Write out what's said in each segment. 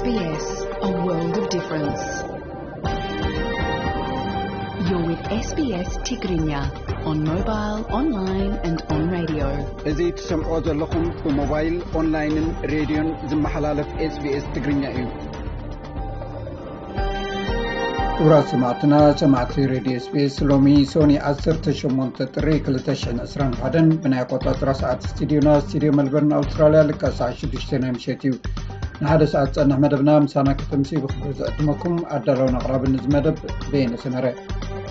S B S, a world of difference. You're with S B S Tigrinya on mobile, online and on radio. እዚ ትሰምዖ ዘለኹም ብሞባይል፣ ኦንላይንን ሬድዮን ዝመሓላለፍ S B S ትግርኛ እዩ። ክቡራት ሰማዕትና፣ ሰማዕቲ ሬድዮ S B S፣ ሎሚ ሶኒ ዓሰርተ ሸሞንተ ጥሪ ክልተ ሽሕን ዕስራን ሓደን ብናይ ኣቆጻጽራ ሰዓት ስቱዲዮና፣ ስቱዲዮ መልበርን ኣውስትራልያ፣ ልክዕ ሰዓት ሽዱሽተ ናይ ምሸት እዩ። ንሓደ ሰዓት ዝጸንሕ መደብና ምሳና ከተምሲ ብኽብሪ ዝዕድመኩም ኣዳላውን ኣቕራብን እዚ መደብ በየነ ሰመረ።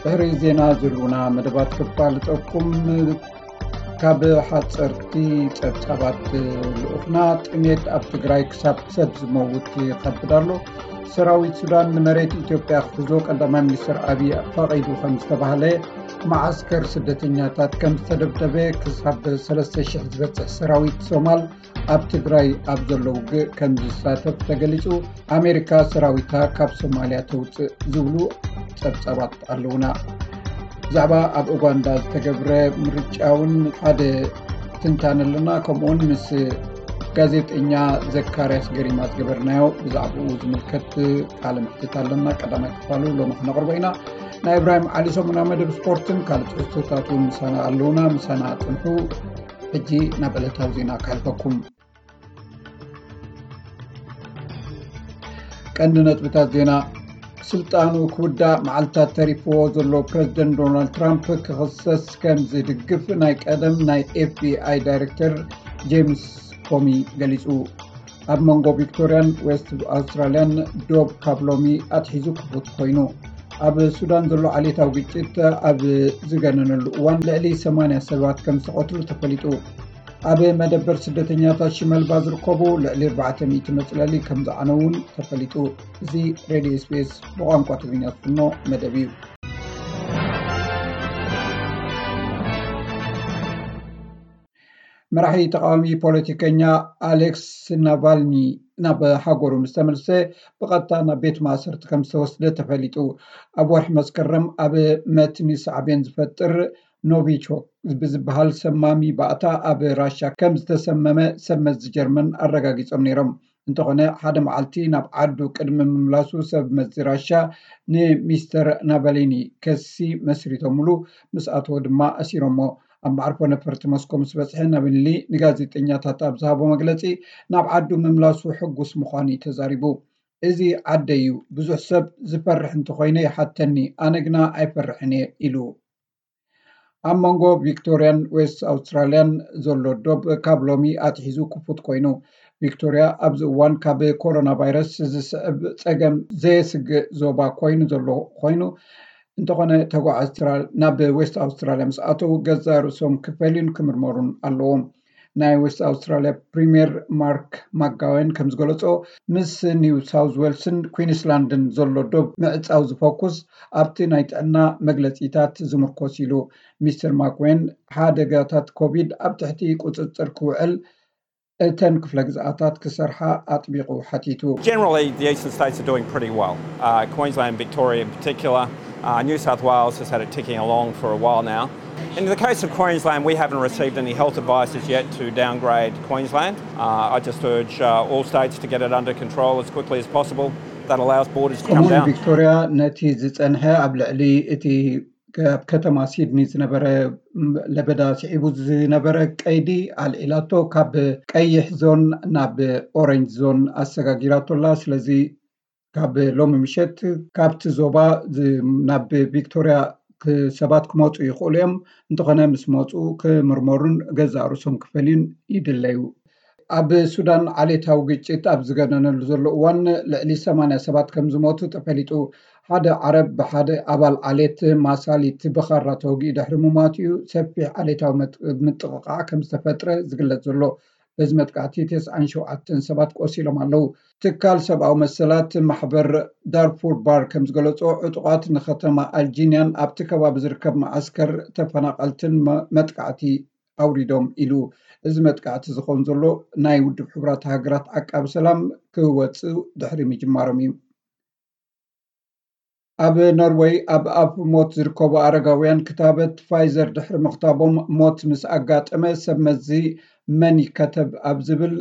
ድሕሪ ዜና ዝህልዉና መደባት ክፋልጠኩም። ካብ ሓጸርቲ ጸብጻባት ልኡኽና፣ ጥሜት ኣብ ትግራይ ክሳብ ሰብ ዝመውት ይኸብድ ኣሎ። ሰራዊት ሱዳን ንመሬት ኢትዮጵያ ክሕዞ ቀዳማይ ሚኒስትር ኣብይ ፈቒዱ ከም ዝተባህለ፣ መዓስከር ስደተኛታት ከም ዝተደብደበ፣ ክሳብ ሰለስተ ሽሕ ዝበጽሕ ሰራዊት ሶማል ኣብ ትግራይ ኣብ ዘሎ ውግእ ከም ዝሳተፍ ተገሊጹ። ኣሜሪካ ሰራዊታ ካብ ሶማልያ ተውፅእ ዝብሉ ጸብጻባት ኣለውና። ብዛዕባ ኣብ ኡጋንዳ ዝተገብረ ምርጫ እውን ሓደ ትንታነ ኣለና። ከምኡውን ምስ ጋዜጠኛ ዘካርያስ ገሪማ ዝገበርናዮ ብዛዕባኡ ዝምልከት ቃለ መሕትት ኣለና። ቀዳማይ ክፋሉ ሎሚ ክነቕርቦ ኢና። ናይ እብራሂም ዓሊ ሰሙናዊ መደብ ስፖርትን ካልእ ትሕዝቶታት እውን ምሳና ኣለውና። ምሳና ጽንሑ። ሕጂ ናብ ዕለታዊ ዜና ከሕልፈኩም። ቀንዲ ነጥብታት ዜና። ስልጣኑ ክውዳእ መዓልታት ተሪፍዎ ዘሎ ፕረዚደንት ዶናልድ ትራምፕ ክኽሰስ ከም ዝድግፍ ናይ ቀደም ናይ ኤፍቢኣይ ዳይሬክተር ጄምስ ኮሚ ገሊጹ። ኣብ መንጎ ቪክቶርያን ዌስት ኣውስትራልያን ዶብ ካብ ሎሚ ኣትሒዙ ክፉት ኮይኑ። ኣብ ሱዳን ዘሎ ዓሌታዊ ግጭት ኣብ ዝገነነሉ እዋን ልዕሊ ሰማንያ ሰባት ከም ዝተቐትሉ ተፈሊጡ። ኣብ መደበር ስደተኛታት ሽመልባ ዝርከቡ ልዕሊ ኣርባዕተ ሚእቲ መጽለሊ ከም ዝዓነው እውን ተፈሊጡ። እዚ ሬድዮ ኤስቢኤስ ብቋንቋ ትግርኛ ዝፍኖ መደብ እዩ። መራሒ ተቃዋሚ ፖለቲከኛ ኣሌክስ ናቫልኒ ናብ ሃገሩ ምስ ተመልሰ፣ ብቐጥታ ናብ ቤት ማእሰርቲ ከም ዝተወስደ ተፈሊጡ። ኣብ ወርሒ መስከረም ኣብ መትኒ ሳዕቤን ዝፈጥር ኖቪቾክ ብዝበሃል ሰማሚ ባእታ ኣብ ራሻ ከም ዝተሰመመ ሰብ መዚ ጀርመን ኣረጋጊጾም ነይሮም። እንተኾነ፣ ሓደ መዓልቲ ናብ ዓዱ ቅድሚ ምምላሱ ሰብ መዚ ራሻ ንሚስተር ናቫሊኒ ከሲ መስሪቶምሉ፣ ምስ ኣተወ ድማ ኣሲሮሞ። ኣብ መዓርፎ ነፈርቲ ሞስኮ ምስ በጽሐ፣ ናቫሊኒ ንጋዜጠኛታት ኣብ ዝሃቦ መግለጺ፣ ናብ ዓዱ ምምላሱ ሕጉስ ምዃኑ እዩ ተዛሪቡ። "እዚ ዓደይ እዩ። ብዙሕ ሰብ ዝፈርሕ እንተኾይነ ይሓተኒ፣ ኣነ ግና ኣይፈርሕን እየ" ኢሉ። ኣብ መንጎ ቪክቶርያን ዌስት ኣውስትራልያን ዘሎ ዶብ ካብ ሎሚ ኣትሒዙ ክፉት ኮይኑ። ቪክቶርያ ኣብዚ እዋን ካብ ኮሮና ቫይረስ ዝስዕብ ጸገም ዘየስግእ ዞባ ኮይኑ ዘሎ ኮይኑ፣ እንተኾነ፣ ተጓዓዝቲ ኣውስትራል-፣ ናብ ዌስት ኣውስትራልያ ምስ ኣተዉ ገዛእ ርእሶም ክፈልዩን ክምርመሩን ኣለዎም። ናይ ዌስት ኣውስትራልያ ፕሪምየር ማርክ ማክጋዌን ከም ዝገለጾ፣ ምስ ኒው ሳውዝ ዌልስን ኩዊንስላንድን ዘሎ ዶብ ምዕጻው ዝፈኩስ ኣብቲ ናይ ጥዕና መግለጺታት ዝምርኮስ ኢሉ። ሚስተር ማክዌን፣ ሓደጋታት ኮቪድ ኣብ ትሕቲ ቁጽጽር ክውዕል እተን ክፍለ ግዝኣታት ክሰርሓ ኣጥቢቑ ሓቲቱ። Generally, the eastern states are doing pretty well. Uh, Queensland, Victoria in particular, uh, New South Wales has had it ticking along for a while now. In the case of Queensland, we haven't received any health advice as yet to downgrade Queensland. Uh, I just urge uh, all states to get it under control as quickly as possible. That allows borders to come ከምኡውን down. ቪክቶርያ ነቲ ዝጸንሐ ኣብ ልዕሊ እቲ ኣብ ከተማ ሲድኒ ዝነበረ ለበዳ ስዒቡ ዝነበረ ቀይዲ ኣልዒላቶ፣ ካብ ቀይሕ ዞን ናብ ኦሬንጅ ዞን ኣሰጋጊራቶ ኣላ። ስለዚ ካብ ሎሚ ምሸት ካብቲ ዞባ ዝ-፣ ናብ ቪክቶርያ ክ-፣ ሰባት ክመጹ ይኽእሉ እዮም። እንተኾነ ምስ መጹ ክምርመሩን ገዛእ ርእሶም ክፈልዩን ይድለዩ። ኣብ ሱዳን ዓሌታዊ ግጭት ኣብ ዝገነነሉ ዘሎ እዋን ልዕሊ ሰማንያ ሰባት ከም ዝሞቱ ተፈሊጡ። ሓደ ዓረብ ብሓደ ኣባል ዓሌት ማሳሊት ብኻራ ተወጊኡ ድሕሪ ምሟቱ እዩ ሰፊሕ ዓሌታዊ መጥ-፣ ምጥቕቓዕ ከም ዝተፈጥረ ዝግለጽ ዘሎ። በዚ መጥቃዕቲ ተስዓን ሸውዓተን ሰባት ቆሲሎም ኣለዉ። ትካል ሰብኣዊ መሰላት ማሕበር ዳርፉር ባር ከም ዝገለጾ፣ ዕጡቓት ንከተማ ኣልጂንያን ኣብቲ ከባቢ ዝርከብ መዓስከር ተፈናቐልትን መ-፣ መጥቃዕቲ ኣውሪዶም ኢሉ። እዚ መጥቃዕቲ ዝኸውን ዘሎ ናይ ውድብ ሕቡራት ሃገራት ዓቃቢ ሰላም ክወጽእ ድሕሪ ምጅማሮም እዩ። ኣብ ኖርወይ ኣብ ኣፍ ሞት ዝርከቡ ኣረጋውያን ክታበት ፋይዘር ድሕሪ ምኽታቦም፣ ሞት ምስ ኣጋጠመ ሰብ መዚ መን ይከተብ ኣብ ዝብል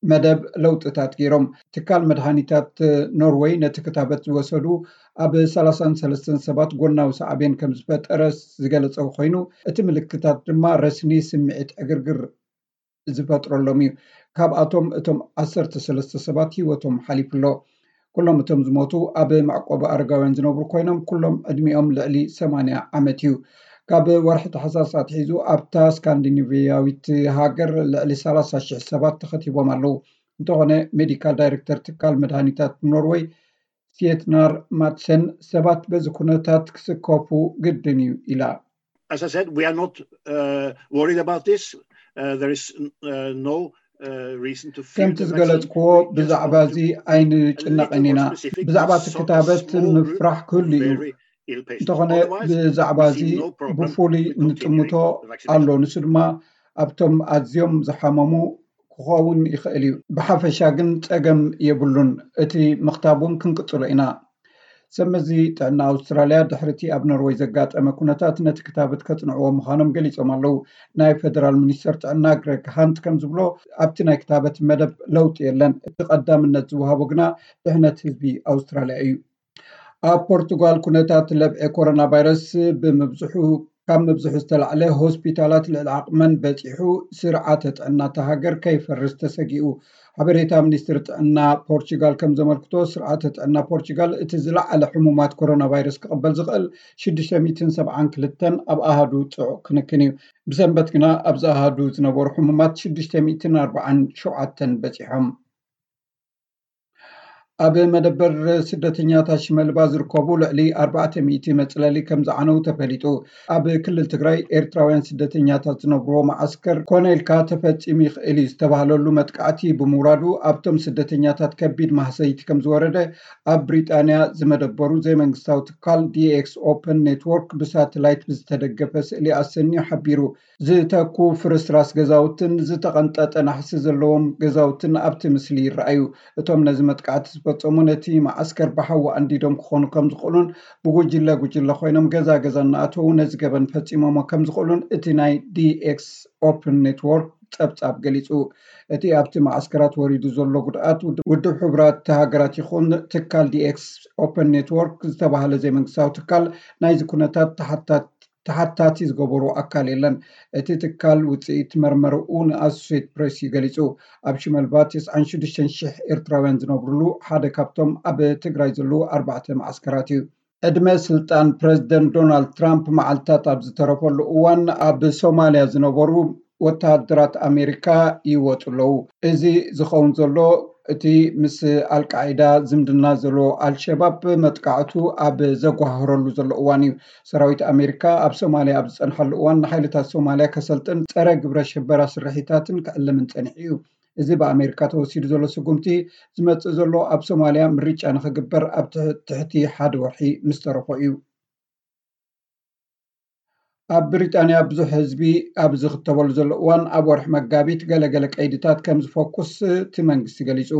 መደብ ለውጥታት ገይሮም። ትካል መድሃኒታት ኖርወይ ነቲ ክታበት ዝወሰዱ ኣብ ሰላሳን ሰለስተን ሰባት ጎናዊ ሳዕቤን ከም ዝፈጠረ ዝገለጸ ኮይኑ፣ እቲ ምልክታት ድማ ረስኒ፣ ስምዒት ዕግርግር ዝፈጥረሎም እዩ። ካብኣቶም እቶም ዓሰርተ ሰለስተ ሰባት ህይወቶም ሓሊፉ ኣሎ። ኩሎም እቶም ዝሞቱ ኣብ መዕቆቢ ኣረጋውያን ዝነብሩ ኮይኖም፣ ኩሎም ዕድሚኦም ልዕሊ ሰማንያ ዓመት እዩ። ካብ ወርሒ ታሕሳስ ኣትሒዙ ኣብታ ስካንዲኔቪያዊት ሃገር ልዕሊ ሰላሳ ሽሕ ሰባት ተኸቲቦም ኣለዉ። እንተኾነ፣ ሜዲካል ዳይሬክተር ትካል መድሃኒታት ኖርወይ፣ ሲየትናር ማትሰን፣ ሰባት በዚ ኩነታት ክስከፉ ግድን እዩ ኢላ። As I said, we are not uh, worried about this. Uh, there is uh, no uh, reason to fear ከምቲ the vaccine. ዝገለጽክዎ፣ ብዛዕባ እዚ ኣይንጭነቕን ኢና። ብዛዕባ እቲ ክታበት ምፍራሕ ክህሉ እዩ። Very ill patients. እንተኾነ፣ Otherwise, ብዛዕባ we እዚ see no problem ብፍሉይ with continuing ንጥምቶ the vaccination. ኣሎ። ንሱ ድማ ኣብቶም ኣዝዮም ዝሓመሙ ክኸውን ይኽእል እዩ። ብሓፈሻ ግን ጸገም የብሉን። እቲ ምኽታብ እውን ክንቅጽሎ ኢና። ሰብ መዚ ጥዕና ኣውስትራልያ፣ ድሕሪ እቲ ኣብ ኖርወይ ዘጋጠመ ኩነታት፣ ነቲ ክታበት ከጽንዕዎ ምዃኖም ገሊጾም ኣለዉ። ናይ ፌደራል ሚኒስተር ጥዕና ግረግ ሃንት ከም ዝብሎ፣ ኣብቲ ናይ ክታበት መደብ ለውጢ የለን። እቲ ቀዳምነት ዝወሃቦ ግና ድሕነት ህዝቢ ኣውስትራልያ እዩ። ኣብ ፖርቱጋል ኩነታት ለብዒ ኮሮና ቫይረስ ብምብዝሑ ካብ ምብዝሑ ዝተላዕለ፣ ሆስፒታላት ልዕሊ ዓቕመን በጺሑ፣ ስርዓተ ጥዕና እታ ሃገር ከይፈርስ ተሰጊኡ። ሓበሬታ ሚኒስትሪ ጥዕና ፖርቹጋል ከም ዘመልክቶ፣ ስርዓተ ጥዕና ፖርቹጋል እቲ ዝለዓለ ሕሙማት ኮሮና ቫይረስ ክቕበል ዝኽእል ሽዱሽተ ሚእትን ሰብዓን ክልተን ኣብ ኣሃዱ ጽዑቕ ክንክን እዩ። ብሰንበት ግና ኣብዚ ኣሃዱ ዝነበሩ ሕሙማት ሽዱሽተ ሚእትን ኣርባዓን ሸውዓተን በጺሖም። ኣብ መደበር ስደተኛታት ሽመልባ ዝርከቡ ልዕሊ ኣርባዕተ ሚእቲ መጽለሊ ከም ዝዓነው ተፈሊጡ። ኣብ ክልል ትግራይ ኤርትራውያን ስደተኛታት ዝነብርዎ መዓስከር ኮነ ኢልካ ተፈጺሙ ይኽእል እዩ ዝተባህለሉ መጥቃዕቲ ብምውራዱ፣ ኣብቶም ስደተኛታት ከቢድ ማህሰይቲ ከም ዝወረደ ኣብ ብሪጣንያ ዝመደበሩ ዘይመንግስታዊ ትካል ዲኤክስ ኦፐን ኔትወርክ ብሳተላይት ብዝተደገፈ ስእሊ ኣሰንዩ ሓቢሩ። ዝተኩ ፍርስራስ ገዛውትን ዝተቐንጠጠ ናሕሲ ዘለዎም ገዛውትን ኣብቲ ምስሊ ይረኣዩ። እቶም ነዚ መጥቃዕቲ ዝፈጸሙ፣ ነቲ መዓስከር ብሓዊ ኣንዲዶም ክኾኑ ከም ዝኽእሉን፣ ብጉጅለ ጉጅለ ኮይኖም ገዛ ገዛ እናኣተዉ ነዚ ገበን ፈጺሞሞ ከም ዝኽእሉን እቲ ናይ ዲኤክስ ኦፕን ኔትወርክ ጸብጻብ ገሊጹ። እቲ ኣብቲ መዓስከራት ወሪዱ ዘሎ ጉድኣት፣ ውድ-፣ ውድብ ሕቡራት ሃገራት ይኹን ትካል ዲኤክስ ኦፕን ኔትወርክ ዝተባህለ ዘይመንግስታዊ ትካል ናይዚ ኩነታት ተሓታት-፣ ተሓታቲ ዝገበሩ ኣካል የለን። እቲ ትካል ውጽኢት መርመርኡ ንኣሶሴት ፕሬስ እዩ ገሊጹ። ኣብ ሽመልባ ተስዓን ሽዱሽተን ሽሕ ኤርትራውያን ዝነብሩሉ ሓደ ካብቶም ኣብ ትግራይ ዘለዉ ኣርባዕተ መዓስከራት እዩ። ዕድመ ስልጣን ፕረዚደንት ዶናልድ ትራምፕ መዓልታት ኣብ ዝተረፈሉ እዋን፣ ኣብ ሶማልያ ዝነበሩ ወተሃደራት ኣሜሪካ ይወጹ ኣለዉ። እዚ ዝኸውን ዘሎ፣ እቲ ምስ ኣልቃዒዳ ዝምድና ዘለዎ ኣልሸባብ መጥቃዕቱ ኣብ ዘጓህረሉ ዘሎ እዋን እዩ። ሰራዊት ኣሜሪካ ኣብ ሶማልያ ኣብ ዝጸንሓሉ እዋን፣ ንሓይልታት ሶማልያ ከሰልጥን ጸረ ግብረ ሽበራ ስርሒታትን ክዕልምን ጸኒሑ እዩ። እዚ ብኣሜሪካ ተወሲዱ ዘሎ ስጉምቲ ዝመጽእ ዘሎ፣ ኣብ ሶማልያ ምርጫ ንኽግበር ኣብ ትሕ-፣ ትሕቲ ሓደ ወርሒ ምስ ተረፎ እዩ። ኣብ ብሪጣንያ ብዙሕ ህዝቢ ኣብ ዝኽተበሉ ዘሎ እዋን፣ ኣብ ወርሒ መጋቢት ገለገለ ቀይድታት ከም ዝፈኩስ እቲ መንግስቲ ገሊጹ።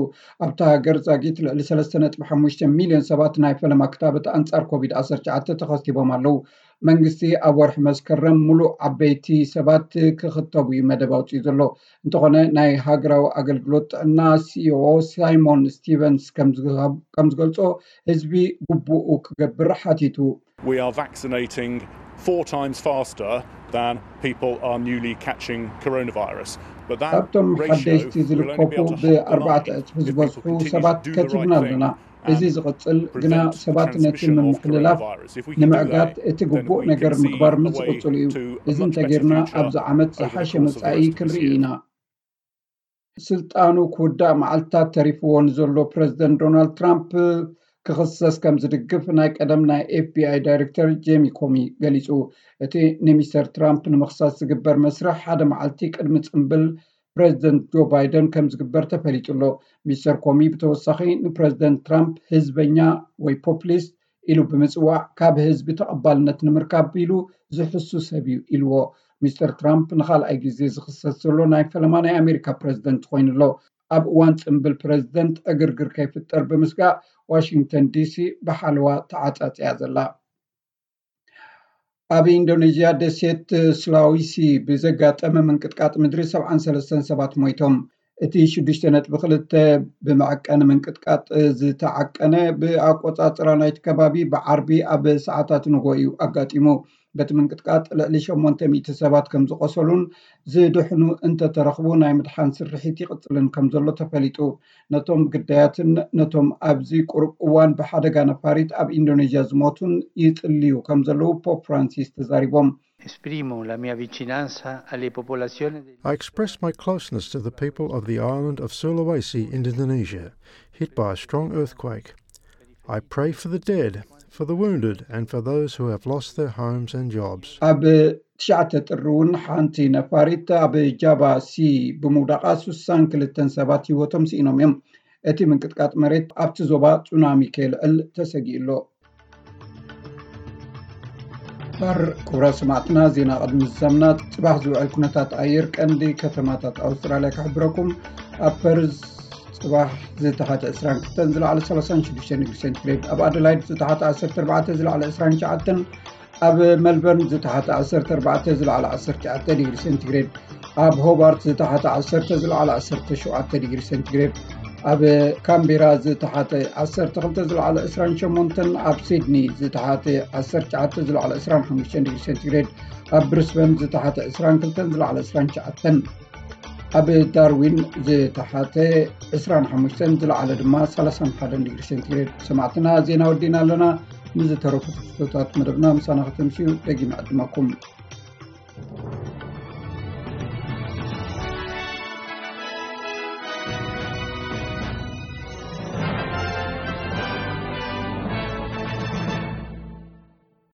ኣብታ ሃገር ዛጊት ልዕሊ ሰለስተ ነጥቢ ሓሙሽተ ሚልዮን ሰባት ናይ ፈለማ ክታበት ኣንጻር ኮቪድ ዓሰርተ ትሽዓተ ተኸቲቦም ኣለዉ። መንግስቲ ኣብ ወርሒ መስከረም ሙሉእ ዓበይቲ ሰባት ክኽተቡ እዩ መደብ ኣውጺኡ ዘሎ። እንተኾነ፣ ናይ ሃገራዊ ኣገልግሎት ጥዕና ሲኢኦ ሳይሞን ስቲቨንስ ከም ዝሃብ-፣ ከም ዝገልጾ፣ ህዝቢ ግቡኡ ክገብር ሓቲቱ። We are vaccinating four times faster than people are newly catching coronavirus. But that ካብቶም ratio ሓደሽቲ will only be ዝልከፉ able to half the ብኣርባዕተ number እጥፊ if ዝበዝሑ people continue ሰባት to do the ከቲብና right ኣለና። thing እዚ and ዝቕጽል ግና prevent the ሰባት ነቲ transmission of ምምሕልላፍ coronavirus. If we can do ንምዕጋት that, እቲ then ግቡእ we ነገር can see ምግባር a ምስ way ዝቕጽል እዩ። to a እዚ much better እንተጌርና future ኣብዚ ዓመት over the ዝሓሸ course of the መጻኢ rest of this ክንርኢ year. ኢና። ስልጣኑ ክውዳእ መዓልታት ተሪፍዎ ንዘሎ ፕረዚደንት ዶናልድ ትራምፕ ክኽሰስ ከም ዝድግፍ ናይ ቀደም ናይ ኤፍቢኣይ ዳይሬክተር ጄሚ ኮሚ ገሊጹ። እቲ ንሚስተር ትራምፕ ንምኽሳስ ዝግበር መስርሕ ሓደ መዓልቲ ቅድሚ ጽምብል ፕረዚደንት ጆ ባይደን ከም ዝግበር ተፈሊጡ ኣሎ። ሚስተር ኮሚ ብተወሳኺ ንፕረዚደንት ትራምፕ ህዝበኛ ወይ ፖፕሊስት ኢሉ ብምጽዋዕ፣ ካብ ህዝቢ ተቐባልነት ንምርካብ ኢሉ ዝሕሱ ሰብ እዩ ኢልዎ። ሚስተር ትራምፕ ንኻልኣይ ግዜ ዝኽሰስ ዘሎ ናይ ፈለማ ናይ ኣሜሪካ ፕረዚደንት ኮይኑ ኣሎ። ኣብ እዋን ጽምብል ፕረዚደንት ዕግርግር ከይፍጠር ብምስጋእ፣ ዋሽንግተን ዲሲ ብሓለዋ ተዓጻጽያ ዘላ። ኣብ ኢንዶኔዥያ ደሴት ስላዊሲ ብዘጋጠመ ምንቅጥቃጥ ምድሪ ሰብዓን ሰለስተን ሰባት ሞይቶም። እቲ ሽዱሽተ ነጥቢ ክልተ ብመዐቀኒ ምንቅጥቃጥ ዝተዓቀነ ብኣቆጻጽራ ናይቲ ከባቢ ብዓርቢ ኣብ ሰዓታት ንጎ እዩ ኣጋጢሙ። በቲ ምንቅጥቃጥ ልዕሊ ሸሞንተ ሚእቲ ሰባት ከም ዝቆሰሉን ዝድሕኑ እንተተረኽቡ ናይ ምድሓን ስርሒት ይቕጽልን ከም ዘሎ ተፈሊጡ። ነቶም ግዳያትን ነቶም ኣብዚ ቁሩብ እዋን ብሓደጋ ነፋሪት ኣብ ኢንዶኔዥያ ዝሞቱን ይጽልዩ ከም ዘለዉ ፖፕ ፍራንሲስ ተዛሪቦም። Esprimo la mia vicinanza alle popolazioni. I express my closeness to the people of the island of Sulawesi in Indonesia, hit by a strong earthquake. I pray for the dead, for the wounded, and for those who have lost their homes and jobs. ኣብ ትሽዓተ ጥሪ እውን ሓንቲ ነፋሪት ኣብ ጃባ ሲ ብምውዳቓ ስሳን ክልተን ሰባት ህይወቶም ስኢኖም እዮም። እቲ ምንቅጥቃጥ መሬት ኣብቲ ዞባ ጹናሚ ከየልዕል ተሰጊኡ ኣሎ። በር ክቡራት ሰማዕትና፣ ዜና ቅድሚ ዝዛምና ጽባሕ ዝውዕል ኩነታት ኣየር ቀንዲ ከተማታት ኣውስትራልያ ክሕብረኩም። ኣብ ፐርዝ ጽባሕ ዝተሓተ ዕስራን ክልተን ዝለዓለ ሰላሳን ሽዱሽተን ዲግሪ ሴንቲግሬድ፣ ኣብ ኣደላይድ ዝተሓተ ዓሰርተ ኣርባዕተ ዝለዓለ ዕስራን ትሽዓተን፣ ኣብ መልበርን ዝተሓተ ዓሰርተ ኣርባዕተ ዝለዓለ ዓሰርተ ትሽዓተ ዲግሪ ሴንቲግሬድ፣ ኣብ ሆባርት ዝተሓተ ዓሰርተ ዝለዓለ ዓሰርተ ሸውዓተ ዲግሪ ሴንቲግሬድ፣ ኣብ ካምቤራ ዝተሓተ ዓሰርተ ክልተ ዝለዓለ ዕስራን ሸሞንተን፣ ኣብ ሲድኒ ዝተሓተ ዓሰርተ ትሽዓተ ዝለዓለ ዕስራን ሓሙሽተን ዲግሪ ሴንቲግሬድ፣ ኣብ ብሪስበን ዝተሓተ ዕስራን ክልተን ዝለዓለ ዕስራን ትሽዓተን፣ ኣብ ዳርዊን ዝተሓተ ዕስራን ሓሙሽተን ዝለዓለ ድማ ሰላሳን ሓደን ዲግሪ ሴንቲግሬድ። ሰማዕትና፣ ዜና ወዲእና ኣለና። ንዝተረፉ ትሕዝቶታት መደብና ምሳና ከተምስዩ ደጊመ ዕድመኩም።